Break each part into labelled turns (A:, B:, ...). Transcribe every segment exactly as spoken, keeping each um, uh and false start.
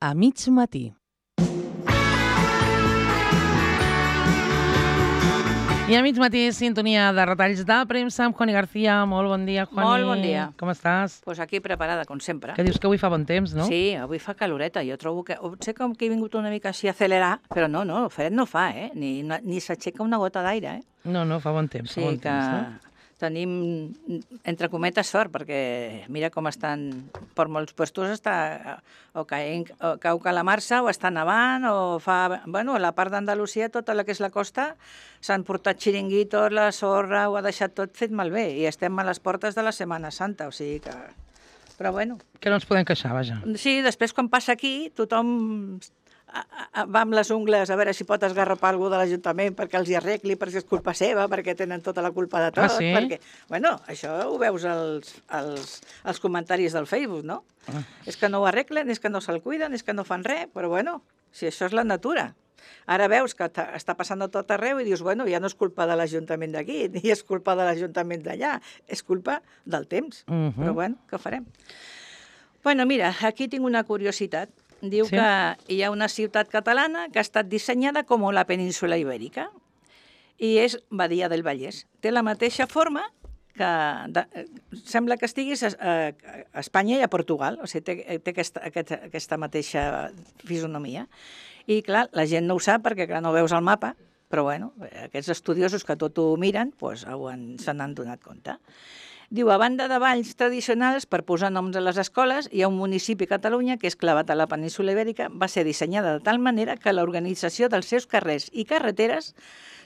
A: A mig matí. I a mig matí, sintonia de retalls de premsa amb Juani García. Molt bon dia, Juani.
B: Molt bon dia.
A: Com estàs?
B: Pues aquí preparada, com sempre.
A: Que dius que avui fa bon temps, no?
B: Sí, avui fa caloreta. Jo trobo que... Sé com que he vingut una mica així a accelerar, però no, no, fred no fa, eh? Ni, ni s'aixeca una gota d'aire, eh?
A: No, no, fa bon temps.
B: Sí,
A: fa bon
B: que
A: temps, no?
B: tenim, entre cometes, sort, perquè mira com estan... Per molts puestos està o caient, o cau calamarsa, o està nevant, o fa... Bueno, a la part d'Andalusia, tota la que és la costa, s'han portat xiringuitos, la sorra, ho ha deixat tot fet malbé, i estem a les portes de la Setmana Santa, o sigui que... Però bueno...
A: Que no ens podem queixar, vaja.
B: Sí, després quan passa aquí, tothom va amb les ungles a veure si pot esgarrapar algú de l'Ajuntament perquè els hi arregli, perquè és culpa seva, perquè tenen tota la culpa de tot.
A: Ah, sí?
B: Perquè, bueno, això ho veus als, als, als comentaris del Facebook, no?
A: Ah.
B: És que no ho arreglen, és que no se'l cuiden, és que no fan res, però bueno, si això és la natura. Ara veus que està passant a tot arreu i dius, bueno, ja no és culpa de l'Ajuntament d'aquí, ni és culpa de l'Ajuntament d'allà, és culpa del temps.
A: Uh -huh.
B: Però bueno, què farem? Bueno, mira, aquí tinc una curiositat. Diu
A: sí?
B: que hi ha una ciutat catalana que ha estat dissenyada com la península Ibèrica i és Badia del Vallès. Té la mateixa forma que... De, sembla que estiguis a, a, a Espanya i a Portugal, o sigui, té, té aquesta, aquesta, aquesta mateixa fisonomia. I, clar, la gent no ho sap perquè, clar, no veus el mapa, però, bueno, aquests estudiosos que tot ho miren, doncs, se n'han donat compte. Diu, a banda de balls tradicionals, per posar noms a les escoles, hi ha un municipi a Catalunya que és clavat a la península Ibèrica, va ser dissenyada de tal manera que l'organització dels seus carrers i carreteres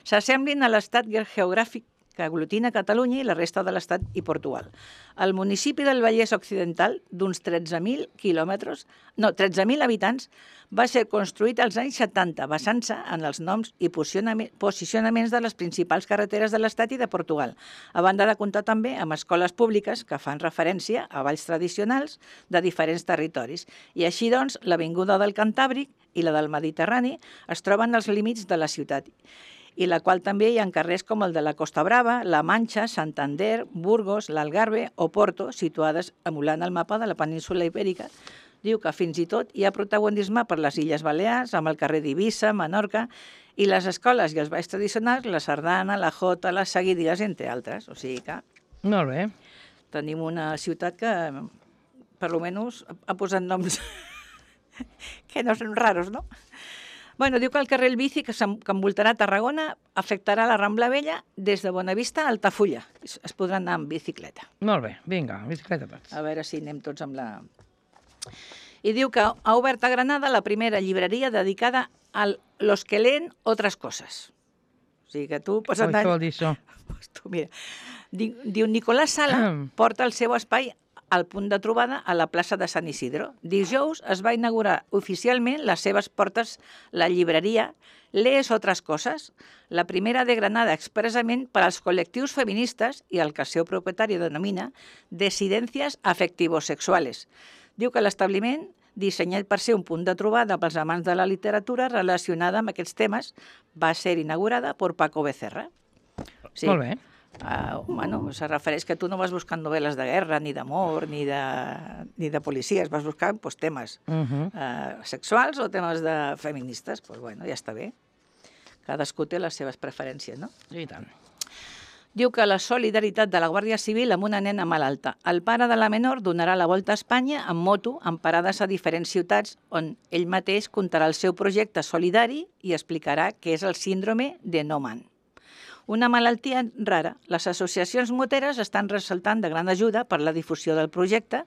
B: s'assemblin a l'estat geogràfic que aglutina Catalunya i la resta de l'Estat i Portugal. El municipi del Vallès Occidental, d'uns tretze mil quilòmetres, no, tretze mil habitants, va ser construït als anys setanta, basant-se en els noms i posicionaments de les principals carreteres de l'Estat i de Portugal, a banda de comptar també amb escoles públiques que fan referència a balls tradicionals de diferents territoris. I així, doncs, l'Avinguda del Cantàbric i la del Mediterrani es troben als límits de la ciutat, i la qual també hi ha carrers com el de la Costa Brava, La Manxa, Santander, Burgos, l'Algarve o Porto, situades emulant el mapa de la península Ibèrica. Diu que fins i tot hi ha protagonisme per les Illes Balears, amb el carrer d'Eivissa, Menorca, i les escoles i els balls tradicionals, la sardana, la jota, les seguidilles, entre altres. O sigui que...
A: Molt bé.
B: Tenim una ciutat que, per almenys, ha posat noms que no són raros, no? Bueno, diu que el carrer El Bici, que envoltarà Tarragona, afectarà la Rambla Vella des de Bonavista a Altafulla. Es podran anar amb bicicleta.
A: Molt bé, vinga, bicicleta tots.
B: A veure si anem tots amb la... I diu que ha obert a Granada la primera llibreria dedicada a los que leen otras cosas. O sigui que tu pots anar...
A: Què vol dir això?
B: Pues tu, mira, diu Nicolás Sala porta el seu espai al punt de trobada a la plaça de Sant Isidro. Dijous es va inaugurar oficialment les seves portes la llibreria Lees otras cosas, la primera de Granada expressament per als col·lectius feministes i el que el seu propietari denomina Desidencias afectivosexuales. Diu que l'establiment, dissenyat per ser un punt de trobada pels amants de la literatura relacionada amb aquests temes, va ser inaugurada per Paco Becerra.
A: Sí. Molt bé.
B: Uh, bueno, se refereix que tu no vas buscant novel·les de guerra, ni d'amor, ni de, ni de policies, vas buscant pues, temes uh -huh. uh, sexuals o temes de feministes. Pues, bueno, ja està bé. Cadascú té les seves preferències, no?
A: I tant.
B: Diu que la solidaritat de la Guàrdia Civil amb una nena malalta. El pare de la menor donarà la volta a Espanya amb moto, amb parades a diferents ciutats, on ell mateix contarà el seu projecte solidari i explicarà què és el síndrome de Noonan. Una malaltia rara. Les associacions moteres estan ressaltant de gran ajuda per la difusió del projecte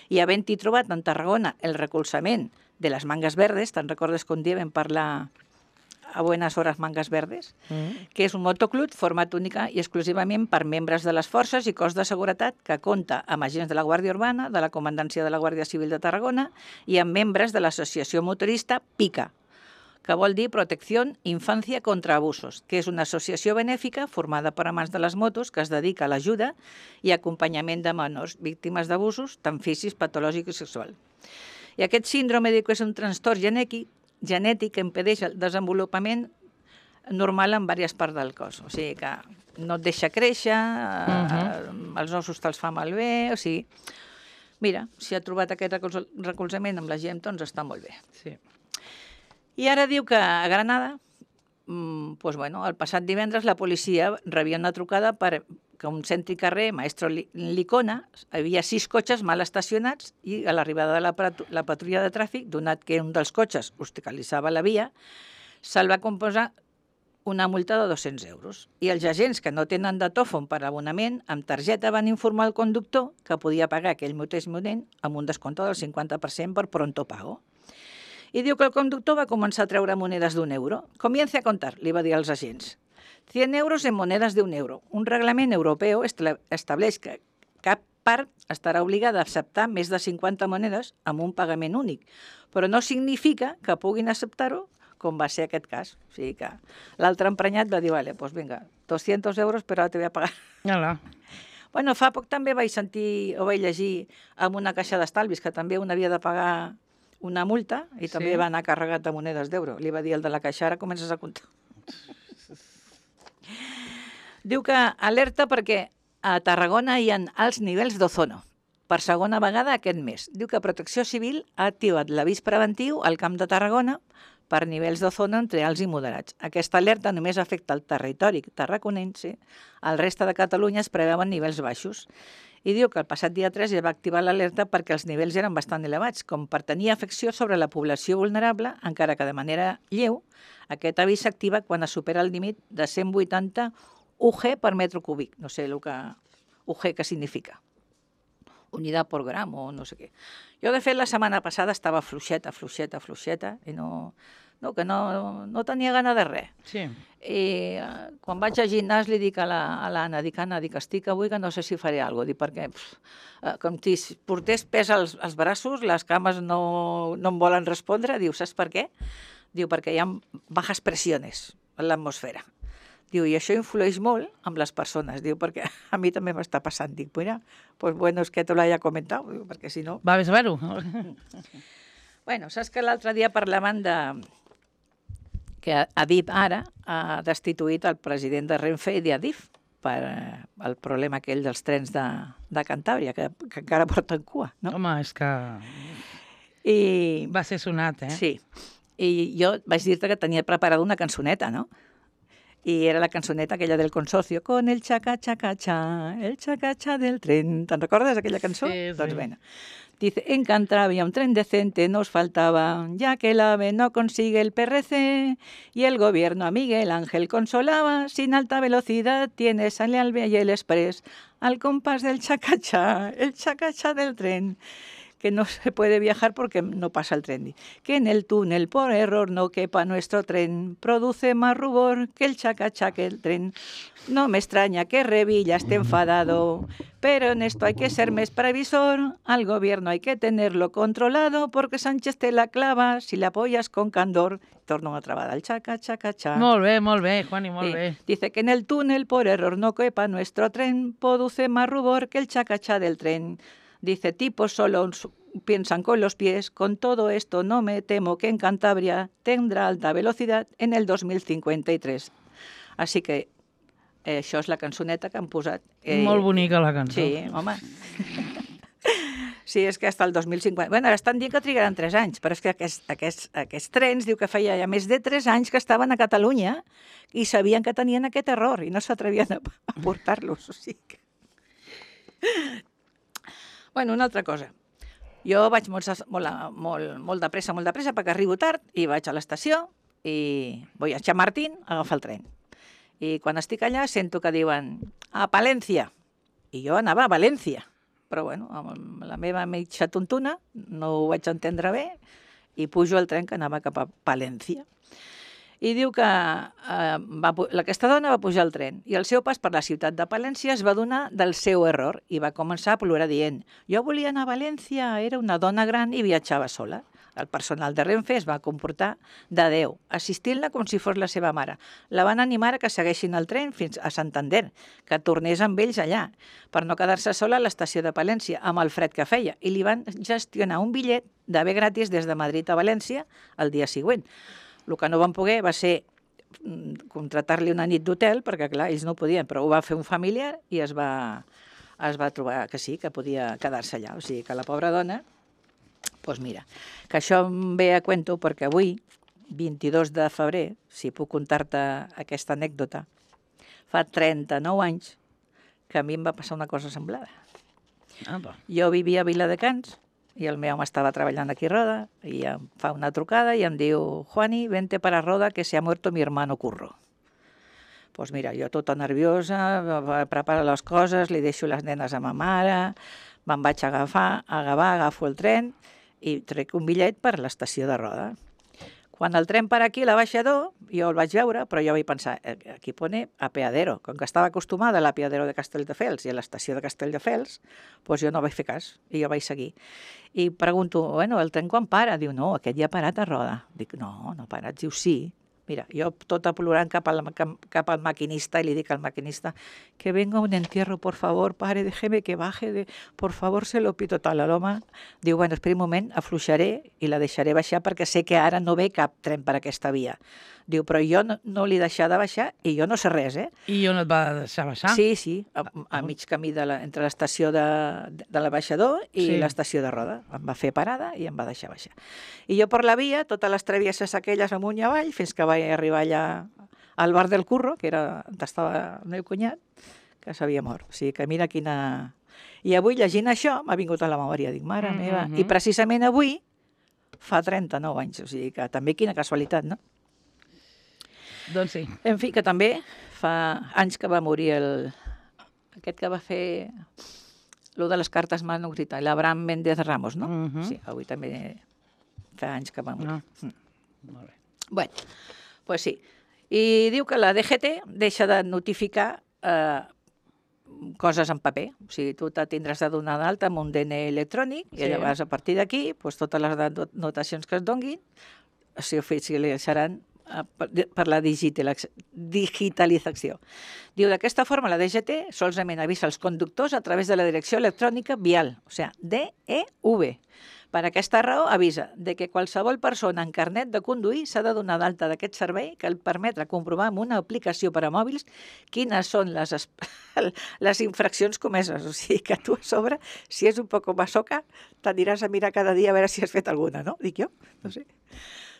B: i havent-hi trobat en Tarragona el recolzament de les Mangas Verdes, te'n recordes que un dia vam parlar a Buenas Horas Mangas Verdes, mm. que és un motoclub format única i exclusivament per membres de les forces i cos de seguretat que compta amb agents de la Guàrdia Urbana, de la Comandància de la Guàrdia Civil de Tarragona i amb membres de l'associació motorista PICA, que vol dir Protecció Infància contra Abusos, que és una associació benèfica formada per amants de les motos que es dedica a l'ajuda i acompanyament de menors víctimes d'abusos, tant físics, patològic i sexual. I aquest síndrome diu que és un trastorn genètic, genètic que impedeix el desenvolupament normal en diverses parts del cos. O sigui que no et deixa créixer, uh -huh. els ossos te'ls fa malbé, o sigui... mira, si ha trobat aquest recolz- recolzament amb la gent, doncs està molt bé.
A: Sí.
B: I ara diu que a Granada, mm, pues bueno, el passat divendres la policia rebia una trucada per que un cèntric carrer, Maestro Li- Licona, hi havia sis cotxes mal estacionats i a l'arribada de la, patu- la patrulla de tràfic, donat que un dels cotxes obstaculitzava la via, se'l va composar una multa de dos-cents euros. I els agents que no tenen datòfon per abonament, amb targeta van informar el conductor que podia pagar aquell mateix moment amb un descompte del cinquanta per cent per pronto pago. I diu que el conductor va començar a treure monedes d'un euro. Comience a contar, li va dir als agents. cent euros en monedes d'un euro. Un reglament europeu establa- estableix que cap part estarà obligada a acceptar més de cinquanta monedes amb un pagament únic, però no significa que puguin acceptar-ho, com va ser aquest cas. O sigui que l'altre emprenyat va dir, vale, pues vinga, doscientos euros, però ara te voy a pagar.
A: Hola.
B: Bueno, fa poc també vaig sentir o vaig llegir amb una caixa d'estalvis que també un havia de pagar una multa i també
A: Sí.
B: va anar carregat de monedes d'euro. Li va dir el de la caixa, ara comences a comptar. Diu que alerta perquè a Tarragona hi ha alts nivells d'ozono per segona vegada aquest mes. Diu que Protecció Civil ha activat l'avís preventiu al Camp de Tarragona per nivells d'ozono entre alts i moderats. Aquesta alerta només afecta el territori tarraconense, al resta de Catalunya es preveuen nivells baixos. I diu que el passat dia tres ja va activar l'alerta perquè els nivells eren bastant elevats, com per tenir afecció sobre la població vulnerable, encara que de manera lleu, aquest avís s'activa quan es supera el límit de cent vuitanta U G per metre cúbic. No sé el que U G que significa. Unidad por gramo o no sé què. Jo, de fet, la setmana passada estava fluixeta, fluixeta, fluixeta, i no, no, que no, no tenia gana de res.
A: Sí.
B: I eh, quan vaig al gimnàs li dic a la- a l'Anna, dic, Anna, dic, estic avui que no sé si faré alguna cosa, dic, perquè pf, eh, com si portés pes als, als braços, les cames no, no em volen respondre, diu, saps per què? Diu, perquè hi ha bajas pressiones en l'atmosfera. Diu, i això influeix molt amb les persones, diu, perquè a mi també m'està passant. Dic, mira, pues bueno, es que te lo haya comentado, diu, perquè si no...
A: Va bé saber-ho.
B: Bueno, saps que l'altre dia parlaven de que Adif ara ha destituït el president de Renfe i d'Adif per eh, el problema aquell dels trens de, de Cantàbria, que, que encara porten cua, no?
A: Home, és que
B: I,
A: va ser sonat, eh?
B: sí, i jo vaig dir-te que tenia preparada una cançoneta, no? I era la cançoneta aquella del consorcio, con el chaca-chaca-cha, el chaca-cha del tren. ¿Te'n recordes aquella cançó?
A: Sí, sí.
B: Doncs bueno. Dice, en Cantabria un tren decente nos faltaba, ya que el AVE no consigue el P R C y el gobierno a Miguel Ángel consolaba, sin alta velocidad tiene sale al y el express, al compás del chaca-cha, el chaca-cha del tren, que no se puede viajar porque no pasa el tren. Que en el túnel por error no quepa nuestro tren, produce más rubor que el chaca-cha que el tren. No me extraña que Revilla esté enfadado, pero en esto hay que ser más previsor, al gobierno hay que tenerlo controlado, porque Sánchez te la clava si la apoyas con candor. Torna una trabada al chaca-chaca-cha.
A: Molt bé, molt bé, Juani, molt
B: Sí.
A: bé.
B: Dice que en el túnel por error no quepa nuestro tren, produce más rubor que el chaca-cha del tren. Dice, tipos solo piensan con los pies, con todo esto no me temo que en Cantabria tendrá alta velocidad en el dos mil cincuenta y tres. Així que eh, això és la cançoneta que han posat.
A: Molt bonica la cançó.
B: Sí, home. Sí, és que hasta el dos mil cinquanta... Bueno, ara estan dient que trigaran tres anys, però és que aquests, aquests, aquests trens, diu que feia ja més de tres anys que estaven a Catalunya i sabien que tenien aquest error i no s'atrevien a, a portar-los. O sigui que... Bueno, una altra cosa. Jo vaig molt, molt, molt, molt de pressa, molt de pressa, perquè arribo tard i vaig a l'estació i vull a Chamartín a agafar el tren. I quan estic allà sento que diuen a Palència. I jo anava a València. Però bueno, amb la meva mitja tontuna no ho vaig entendre bé i pujo al tren que anava cap a Palència. I diu que eh, va, aquesta dona va pujar al tren i al seu pas per la ciutat de Palència es va donar del seu error i va començar a plorar dient jo volia anar a València, era una dona gran i viatjava sola. El personal de Renfe es va comportar de Déu, assistint-la com si fos la seva mare. La van animar a que segueixin el tren fins a Santander, que tornés amb ells allà, per no quedar-se sola a l'estació de Palència, amb el fred que feia, i li van gestionar un bitllet de bé gratis des de Madrid a València el dia següent. El que no van poder va ser contratar-li una nit d'hotel, perquè clar, ells no podien, però ho va fer un familiar i es va, es va trobar que sí, que podia quedar-se allà. O sigui, que la pobra dona, doncs mira, que això em ve a cuento perquè avui, vint-i-dos de febrer, si puc contar-te aquesta anècdota, fa trenta-nou anys que a mi em va passar una cosa semblada.
A: Apa.
B: Jo vivia a Viladecans i el meu home estava treballant aquí a Roda i em fa una trucada i em diu Juani, vente para Roda que se ha muerto mi hermano Curro. Pues mira, jo tota nerviosa, preparo les coses, li deixo les nenes a ma mare, me'n vaig agafar, agafar, agafo el tren i trec un bitllet per l'estació de Roda. Quan el tren per aquí, a l'abaixador, jo el vaig veure, però jo vaig pensar, aquí pone apeadero. Com que estava acostumada a l'apeadero de Castelldefels i a l'estació de Castelldefels, doncs jo no vaig fer cas i jo vaig seguir. I pregunto, bueno, el tren quan para? Diu, no, aquest ja ha parat a Roda. Dic, no, no ha parat. Diu, sí. Mira, jo tota plorant cap al, cap al maquinista i li dic al maquinista que venga un entierro, por favor, pare, déjeme que baje, de, por favor, se lo pito tal. L'home diu, bueno, espera un moment, afluixaré i la deixaré baixar perquè sé que ara no ve cap tren per aquesta via. Diu, però jo no, no li deixar de baixar i jo no sé res, eh?
A: I jo no et va deixar baixar?
B: Sí, sí, a, a mig camí de la, entre l'estació de, de l'abaixador i sí. l'estació de Roda. Em va fer parada i em va deixar baixar. I jo per la via, totes les travesses aquelles amunt i avall, fins que vaig arribar allà al bar del Curro, que era on estava el meu cunyat, que s'havia mort. O sigui que mira quina... I avui, llegint això, m'ha vingut a la memòria. Dic, mare mm-hmm. meva, i precisament avui fa trenta-nou anys. O sigui que també quina casualitat, no?
A: Doncs sí.
B: En fi, que també fa anys que va morir el... aquest que va fer lo de les cartes manuscrites, l'Abraham Méndez Ramos, no?
A: Uh-huh.
B: Sí, avui també fa anys que va morir.
A: Ah. Mm. Molt bé.
B: Bueno, pues sí. I diu que la D G T deixa de notificar eh, coses en paper. O sigui, tu te tindràs de donar d'alta amb un D N I electrònic i sí. llavors a partir d'aquí pues, totes les notacions que es donguin s'oficialitzaran per la digitalització. Diu, d'aquesta forma la D G T solament avisa els conductors a través de la direcció electrònica vial, o sigui, D E V. Per aquesta raó avisa de que qualsevol persona amb carnet de conduir s'ha de donar d'alta d'aquest servei que el permetre comprovar amb una aplicació per a mòbils quines són les, les infraccions comeses. O sigui, que tu a sobre, si és un poc masoca, t'aniràs a mirar cada dia a veure si has fet alguna, no? Dic jo, no sé.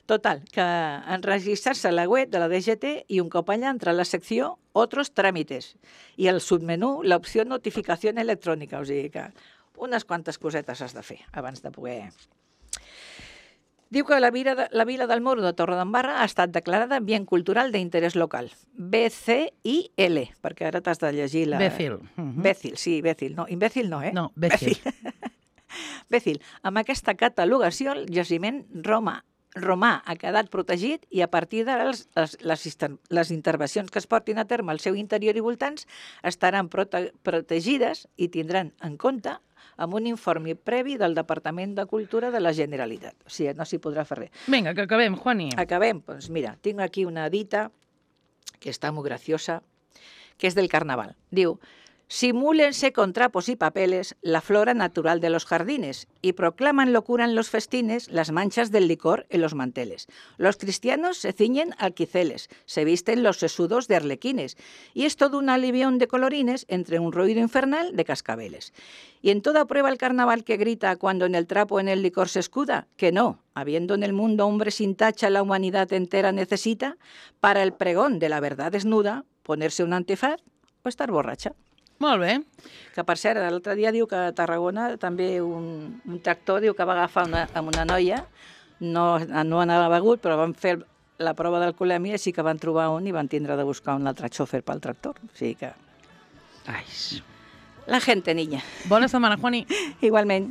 B: Total, que enregistrar-se a la web de la D G T i un cop allà entra a la secció Otros trámites i al submenú l'opció Notificació electrònica, o sigui que unes quantes cosetes has de fer abans de poder... Diu que la vila, de, la vila del Moro de Torredembarra ha estat declarada Bien Cultural d'Interès Local. B C I L, perquè ara t'has de llegir la...
A: Bécil. Uh-huh.
B: Bécil, sí, Bécil. No, imbècil no, eh?
A: No, Bécil.
B: Bécil. Amb aquesta catalogació, el jaciment Roma romà ha quedat protegit i a partir de les, les, les, les intervencions que es portin a terme al seu interior i voltants estaran prote protegides i tindran en compte amb un informe previ del Departament de Cultura de la Generalitat. O sigui, no s'hi podrà fer res.
A: Vinga, que acabem, Juani.
B: Acabem. Doncs mira, tinc aquí una dita que està molt graciosa, que és del Carnaval. Diu, simúlense con trapos y papeles la flora natural de los jardines y proclaman locura en los festines las manchas del licor en los manteles. Los cristianos se ciñen alquiceles, se visten los sesudos de arlequines y es todo un alivión de colorines entre un ruido infernal de cascabeles. Y en toda prueba el carnaval que grita cuando en el trapo en el licor se escuda, que no, habiendo en el mundo hombre sin tacha la humanidad entera necesita, para el pregón de la verdad desnuda, ponerse un antifaz o estar borracha.
A: Molt bé.
B: Que, per cert, l'altre dia diu que a Tarragona també un, un tractor diu que va agafar una, amb una noia, no, no anava begut, però van fer la prova d'alcoholèmia i sí que van trobar un i van tindre de buscar un altre xòfer pel tractor. O sigui que...
A: Ai.
B: La gente, niña.
A: Bona setmana, Juani.
B: Igualment.